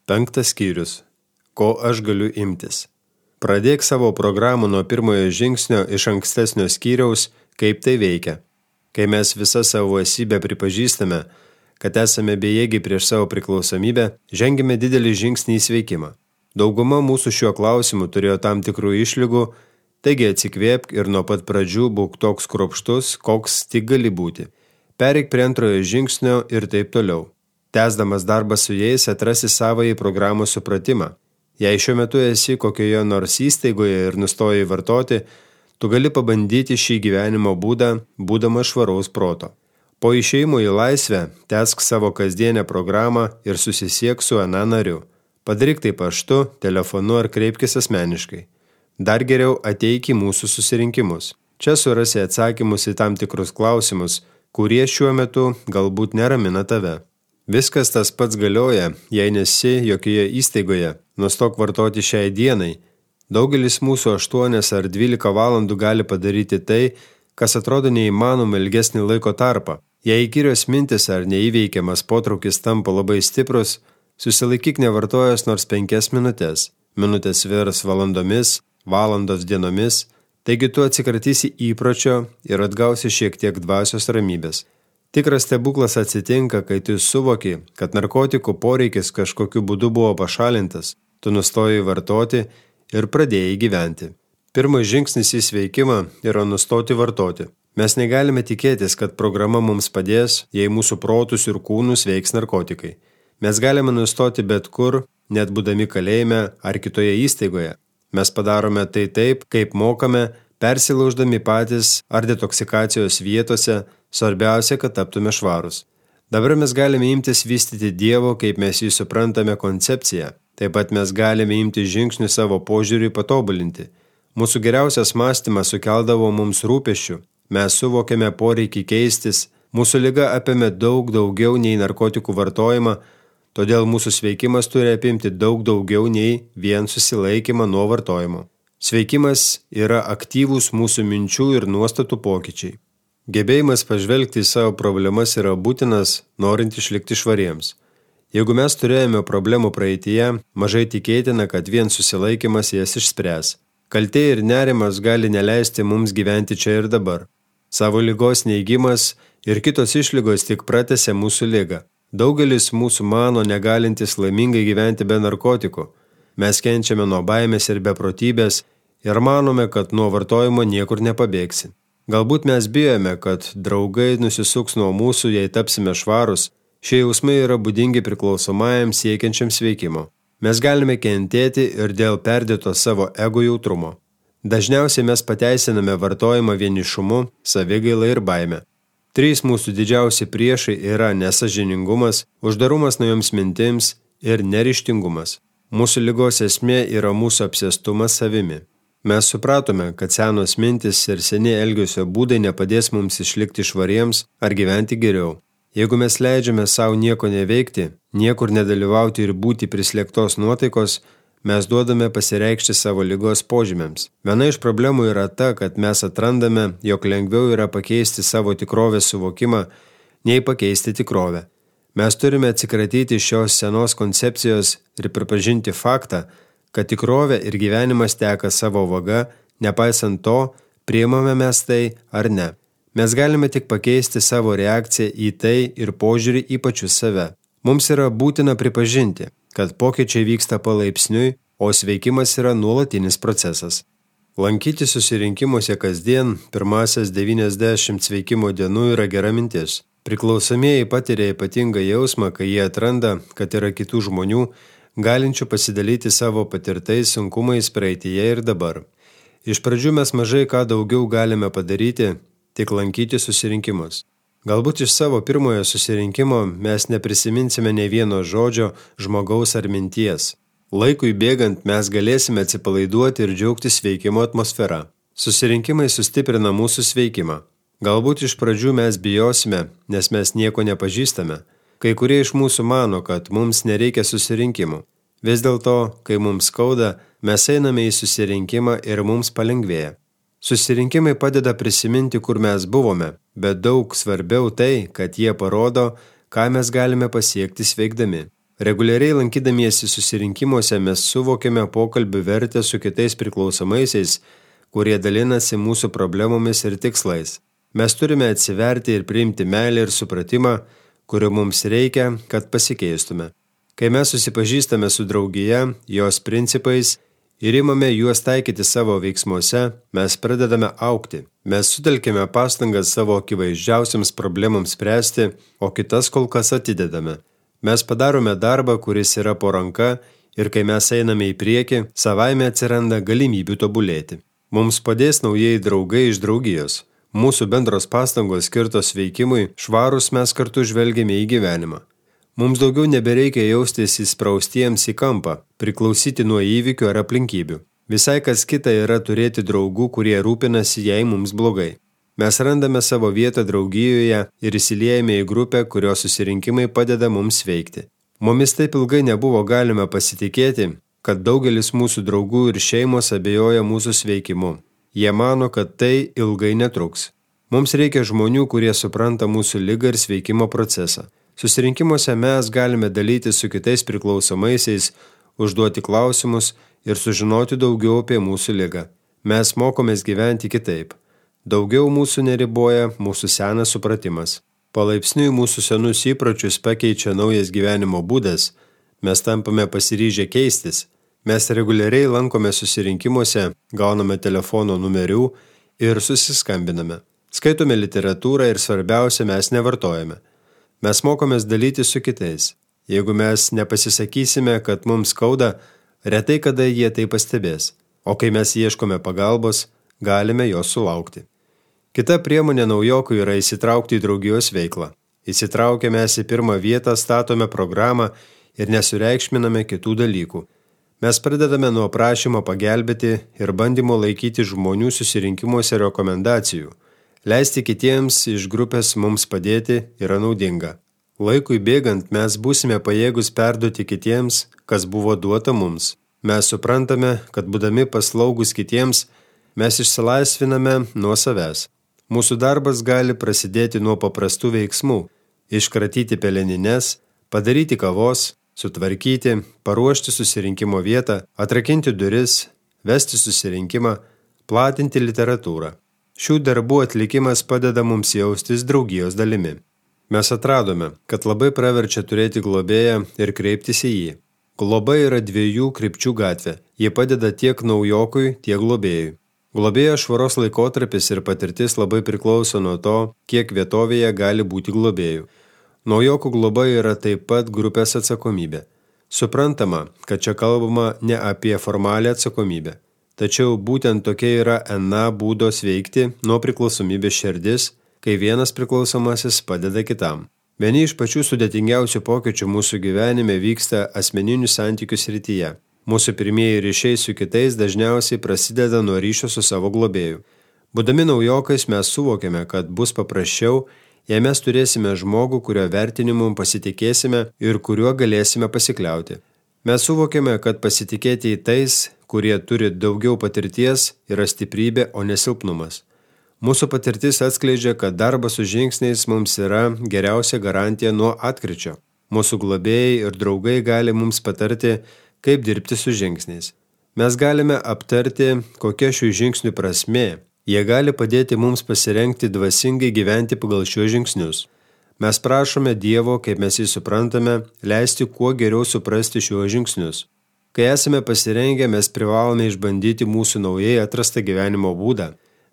5 skyrius. Ko aš galiu imtis? Pradėk savo programą nuo pirmojo žingsnio iš ankstesnio skyriaus, kaip tai veikia. Kai mes visą savo esybę pripažįstame, kad esame bejėgiai prieš savo priklausomybę, žengime didelį žingsnį į sveikimą. Dauguma mūsų šiuo klausimu turėjo tam tikrų išlygų, taigi atsikvėpk ir nuo pat pradžių būk toks kruopštus, koks tik gali būti. Pereik prie antrojo žingsnio ir taip toliau. Tęsdamas darbą su jais atrasi savąjį programų supratimą. Jei šiuo metu esi kokioje nors įstaigoje ir nustojai vartoti, tu gali pabandyti šį gyvenimo būdą, būdamas švaraus proto. Po išėjimo į laisvę tęsk savo kasdienę programą ir susisiek su ana nariu. Padaryk tai paštu, telefonu ar kreipkis asmeniškai. Dar geriau ateik į mūsų susirinkimus. Čia surasi atsakymus į tam tikrus klausimus, kurie šiuo metu galbūt neramina tave. Viskas tas pats galioja, jei nesi jokioje įstaigoje, nustok vartoti šiai dienai. Daugelis mūsų 8 ar 12 valandų gali padaryti tai, kas atrodo neįmanoma ilgesnį laiko tarpą. Jei įkyrios mintis ar neįveikiamas potraukis tampa labai stiprus, susilaikyk nevartojęs nors 5 minutės. Minutės virs valandomis, valandos dienomis, taigi tu atsikratysi įpročio ir atgausi šiek tiek dvasios ramybės. Tikras stebuklas atsitinka, kai tu suvoki, kad narkotikų poreikis kažkokiu būdu buvo pašalintas, tu nustojai vartoti ir pradėjai gyventi. Pirmas žingsnis į sveikimą yra nustoti vartoti. Mes negalime tikėtis, kad programa mums padės, jei mūsų protus ir kūnus veiks narkotikai. Mes galime nustoti bet kur, net būdami kalėjime ar kitoje įstaigoje. Mes padarome tai taip, kaip mokame, persilauždami patys ar detoksikacijos vietose, svarbiausia, kad taptume švarus. Dabar mes galime imtis vystyti Dievo, kaip mes jį suprantame, koncepciją. Taip pat mes galime imti žingsnių savo požiūrį patobulinti. Mūsų geriausias mąstymas sukeldavo mums rūpesčių. Mes suvokėme poreikį keistis. Mūsų liga apėmė daug daugiau nei narkotikų vartojimą, todėl mūsų sveikimas turi apimti daug daugiau nei vien susilaikymą nuo vartojimo. Sveikimas yra aktyvūs mūsų minčių ir nuostatų pokyčiai. Gebėjimas pažvelgti į savo problemas yra būtinas, norint išlikti švariems. Jeigu mes turėjome problemų praeityje, mažai tikėtina, kad vien susilaikymas jas išspręs. Kaltė ir nerimas gali neleisti mums gyventi čia ir dabar. Savo ligos neigimas ir kitos išlygos tik pratęsia mūsų ligą. Daugelis mūsų mano negalintis laimingai gyventi be narkotikų. Mes kenčiame nuo baimės ir beprotybės ir manome, kad nuo vartojimo niekur nepabėgsi. Galbūt mes bijome, kad draugai nusisuks nuo mūsų, jei tapsime švarus. Šie jausmai yra būdingi priklausomajam siekiančiam sveikimo. Mes galime kentėti ir dėl perdėto savo ego jautrumo. Dažniausiai mes pateisiname vartojimą vienišumu, savigaila ir baime. 3 mūsų didžiausi priešai yra nesąžiningumas, uždarumas naujoms mintims ir neryžtingumas. Mūsų ligos esmė yra mūsų apsėstumas savimi. Mes supratome, kad senos mintis ir seni elgesio būdai nepadės mums išlikti švariems ar gyventi geriau. Jeigu mes leidžiame savo nieko neveikti, niekur nedalyvauti ir būti prislėgtos nuotaikos, mes duodame pasireikšti savo ligos požymiams. Viena iš problemų yra ta, kad mes atrandame, jog lengviau yra pakeisti savo tikrovės suvokimą, nei pakeisti tikrovę. Mes turime atsikratyti šios senos koncepcijos ir pripažinti faktą, kad tikrovė ir gyvenimas teka savo vaga, nepaisant to, priimame mes tai ar ne. Mes galime tik pakeisti savo reakciją į tai ir požiūrį į pačius save. Mums yra būtina pripažinti, kad pokyčiai vyksta palaipsniui, o sveikimas yra nuolatinis procesas. Lankyti susirinkimuose kasdien pirmasias 90 sveikimo dienų yra gera mintis. Priklausomieji patiria ypatingą jausmą, kai jie atranda, kad yra kitų žmonių, galinčių pasidalyti savo patirtais sunkumais praeityje ir dabar. Iš pradžių mes mažai ką daugiau galime padaryti, tik lankyti susirinkimus. Galbūt iš savo pirmojo susirinkimo mes neprisiminsime ne vieno žodžio, žmogaus ar minties. Laikui bėgant mes galėsime atsipalaiduoti ir džiaugtis veikimo atmosfera. Susirinkimai sustiprina mūsų sveikimą. Galbūt iš pradžių mes bijosime, nes mes nieko nepažįstame. Kai kurie iš mūsų mano, kad mums nereikia susirinkimų. Vis dėlto, kai mums skauda, mes einame į susirinkimą ir mums palengvėja. Susirinkimai padeda prisiminti, kur mes buvome, bet daug svarbiau tai, kad jie parodo, ką mes galime pasiekti sveikdami. Reguliariai lankydamiesi susirinkimuose mes suvokiame pokalbių vertę su kitais priklausomaisiais, kurie dalinasi mūsų problemomis ir tikslais. Mes turime atsiverti ir priimti meilę ir supratimą, kurio mums reikia, kad pasikeistume. Kai mes susipažįstame su draugija, jos principais ir imame juos taikyti savo veiksmuose, mes pradedame augti. Mes sutelkime pastangas savo akivaizdžiausiams problemams spręsti, o kitas kol kas atidedame. Mes padarome darbą, kuris yra po ranka ir kai mes einame į priekį, savaime atsiranda galimybių tobulėti. Mums padės naujieji draugai iš draugijos. Mūsų bendros pastangos skirtos veikimui, švarus mes kartu žvelgiame į gyvenimą. Mums daugiau nebereikia jaustis įspraustiems į kampą, priklausyti nuo įvykių ar aplinkybių. Visai kas kita yra turėti draugų, kurie rūpinasi, jei mums blogai. Mes randame savo vietą draugijoje ir įsiliejame į grupę, kurios susirinkimai padeda mums veikti. Mumis taip ilgai nebuvo galima pasitikėti, kad daugelis mūsų draugų ir šeimos abejoja mūsų sveikimu. Jie mano, kad tai ilgai netruks. Mums reikia žmonių, kurie supranta mūsų ligą ir sveikimo procesą. Susirinkimuose mes galime dalyti su kitais priklausomaisiais, užduoti klausimus ir sužinoti daugiau apie mūsų ligą. Mes mokomės gyventi kitaip. Daugiau mūsų neriboja mūsų senas supratimas. Palaipsniui mūsų senus įpročius pakeičia naujas gyvenimo būdas, mes tampame pasiryžę keistis. Mes reguliariai lankome susirinkimuose, gauname telefono numerių ir susiskambiname. Skaitome literatūrą ir svarbiausia, mes nevartojame. Mes mokomės dalyti su kitais. Jeigu mes nepasisakysime, kad mums skauda, retai kada jie tai pastebės. O kai mes ieškome pagalbos, galime jos sulaukti. Kita priemonė naujokų yra įsitraukti į draugijos veiklą. Įsitraukę mes į pirmą vietą, statome programą ir nesureikšminame kitų dalykų. Mes pradedame nuo prašymo pagelbėti ir bandymo laikyti žmonių susirinkimuose rekomendacijų. Leisti kitiems iš grupės mums padėti yra naudinga. Laikui bėgant mes būsime pajėgus perduoti kitiems, kas buvo duota mums. Mes suprantame, kad būdami paslaugus kitiems, mes išsilaisviname nuo savęs. Mūsų darbas gali prasidėti nuo paprastų veiksmų – iškratyti pelenines, padaryti kavos, sutvarkyti, paruošti susirinkimo vietą, atrakinti duris, vesti susirinkimą, platinti literatūrą. Šių darbų atlikimas padeda mums jaustis draugijos dalimi. Mes atradome, kad labai praverčia turėti globėją ir kreiptis į jį. Globa yra 2 krypčių gatvė. Ji padeda tiek naujokui, tiek globėjui. Globėjo švaros laikotarpis ir patirtis labai priklauso nuo to, kiek vietovėje gali būti globėjų. Naujokų globa yra taip pat grupės atsakomybė. Suprantama, kad čia kalbama ne apie formalią atsakomybę. Tačiau būtent tokia yra NA būdo sveikti nuo priklausomybės širdis, kai vienas priklausomasis padeda kitam. Vieni iš pačių sudėtingiausių pokyčių mūsų gyvenime vyksta asmeninių santykių srityje. Mūsų pirmieji ryšiai su kitais dažniausiai prasideda nuo ryšio su savo globėju. Būdami naujokais mes suvokiame, kad bus paprasčiau, jei mes turėsime žmogų, kurio vertinimu pasitikėsime ir kuriuo galėsime pasikliauti. Mes suvokiame, kad pasitikėti į tais, kurie turi daugiau patirties, yra stiprybė, o ne silpnumas. Mūsų patirtis atskleidžia, kad darbas su žingsniais mums yra geriausia garantija nuo atkryčio. Mūsų globėjai ir draugai gali mums patarti, kaip dirbti su žingsniais. Mes galime aptarti, kokia šių žingsnių prasmė. Jie gali padėti mums pasirengti dvasingai gyventi pagal šiuos žingsnius. Mes prašome Dievo, kaip mes jį suprantame, leisti kuo geriau suprasti šiuos žingsnius. Kai esame pasirengę, mes privalome išbandyti mūsų naujai atrastą gyvenimo būdą.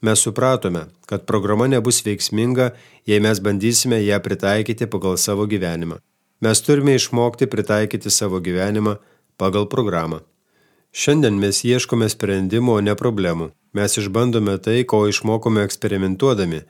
Mes supratome, kad programa nebus veiksminga, jei mes bandysime ją pritaikyti pagal savo gyvenimą. Mes turime išmokti pritaikyti savo gyvenimą pagal programą. Šiandien mes ieškome sprendimo, o ne problemų. Mes išbandome tai, ko išmokome eksperimentuodami.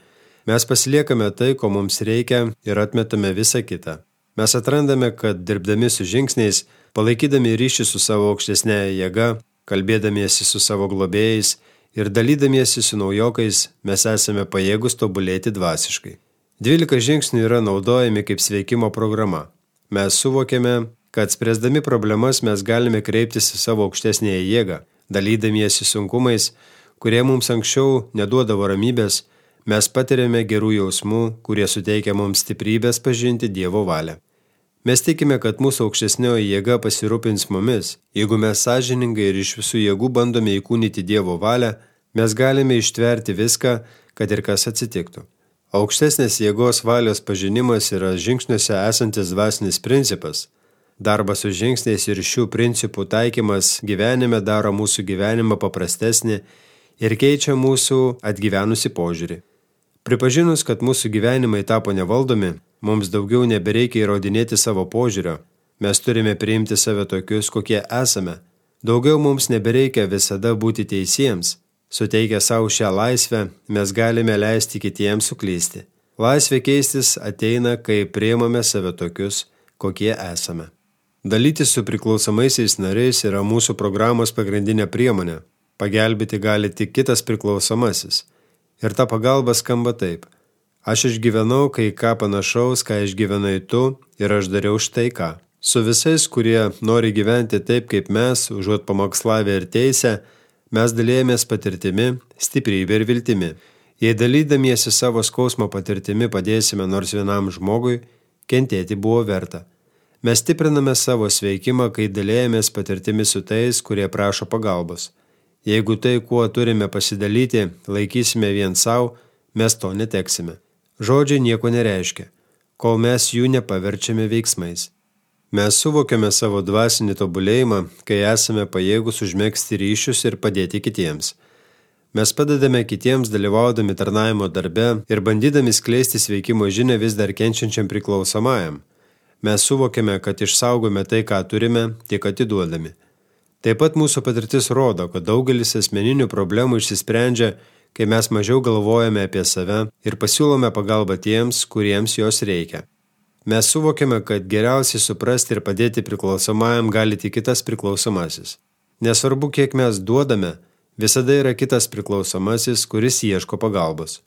Mes pasiliekame tai, ko mums reikia ir atmetame visą kitą. Mes atrandame, kad dirbdami su žingsniais, palaikydami ryšį su savo aukštesnėje jėga, kalbėdamiesi su savo globėjais ir dalydamiesi su naujokais, mes esame pajėgus tobulėti dvasiškai. 12 žingsnių yra naudojami kaip sveikimo programa. Mes suvokėme, kad spręsdami problemas mes galime kreiptis į savo aukštesnėje jėgą, dalydamiesi sunkumais, kurie mums anksčiau neduodavo ramybės, mes patiriame gerų jausmų, kurie suteikia mums stiprybės pažinti Dievo valią. Mes tikime, kad mūsų aukštesnioji jėga pasirūpins mumis. Jeigu mes sąžiningai ir iš visų jėgų bandome įkūnyti Dievo valią, mes galime ištverti viską, kad ir kas atsitiktų. Aukštesnės jėgos valios pažinimas yra žingsniuose esantis dvasinis principas. Darbas su žingsniais ir šių principų taikymas gyvenime daro mūsų gyvenimą paprastesnį ir keičia mūsų atgyvenusi požiūrį. Pripažinus, kad mūsų gyvenimai tapo nevaldomi, mums daugiau nebereikia įrodinėti savo požiūrio. Mes turime priimti save tokius, kokie esame. Daugiau mums nebereikia visada būti teisiems. Suteikę savo šią laisvę, mes galime leisti kitiems suklysti. Laisvė keistis ateina, kai priimame save tokius, kokie esame. Dalytis su priklausomaisiais nariais yra mūsų programos pagrindinė priemonė. Pagelbėti gali tik kitas priklausomasis. Ir ta pagalba skamba taip. Aš išgyvenau kai ką panašaus, ką išgyvenai tu, ir aš dariau štai ką. Su visais, kurie nori gyventi taip, kaip mes, užuot pamokslavę ir teisę, mes dalėjomės patirtimi, stiprybė ir viltimi. Jei dalydamiesi savo skausmo patirtimi padėsime nors vienam žmogui, kentėti buvo verta. Mes stipriname savo sveikimą, kai dalėjomės patirtimi su tais, kurie prašo pagalbos. Jeigu tai, kuo turime pasidalyti, laikysime vien savo, mes to neteksime. Žodžiai nieko nereiškia, kol mes jų nepaverčiame veiksmais. Mes suvokiame savo dvasinį tobulėjimą, kai esame pajėgus užmegzti ryšius ir padėti kitiems. Mes padedame kitiems dalyvaudami tarnavimo darbe ir bandydami skleisti sveikimo žinią vis dar kenčiančiam priklausomajam. Mes suvokiame, kad išsaugome tai, ką turime, tik atiduodami. Taip pat mūsų patirtis rodo, kad daugelis asmeninių problemų išsisprendžia, kai mes mažiau galvojame apie save ir pasiūlome pagalbą tiems, kuriems jos reikia. Mes suvokiame, kad geriausiai suprasti ir padėti priklausomajam gali tik kitas priklausomasis. Nesvarbu, kiek mes duodame, visada yra kitas priklausomasis, kuris ieško pagalbos.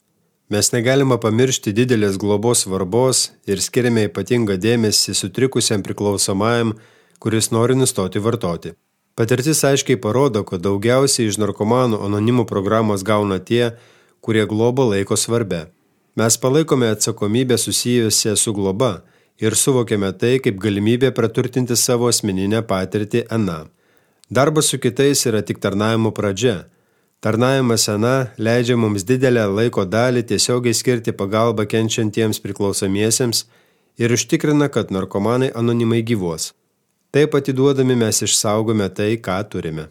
Mes negalime pamiršti didelės globos svarbos ir skiriame ypatingą dėmesį sutrikusiam priklausomajam, kuris nori nustoti vartoti. Patirtis aiškiai parodo, kad daugiausiai iš narkomanų anonimų programos gauna tie, kurie globą laiko svarbia. Mes palaikome atsakomybę susijusią su globa ir suvokiame tai kaip galimybę praturtinti savo asmeninę patirtį aną. Darbas su kitais yra tik tarnavimo pradžia. Tarnavimas aną leidžia mums didelę laiko dalį tiesiogiai skirti pagalbą kenčiantiems priklausomiesiems ir užtikrina, kad narkomanai anonimai gyvuos. Taip atiduodami mes išsaugome tai, ką turime.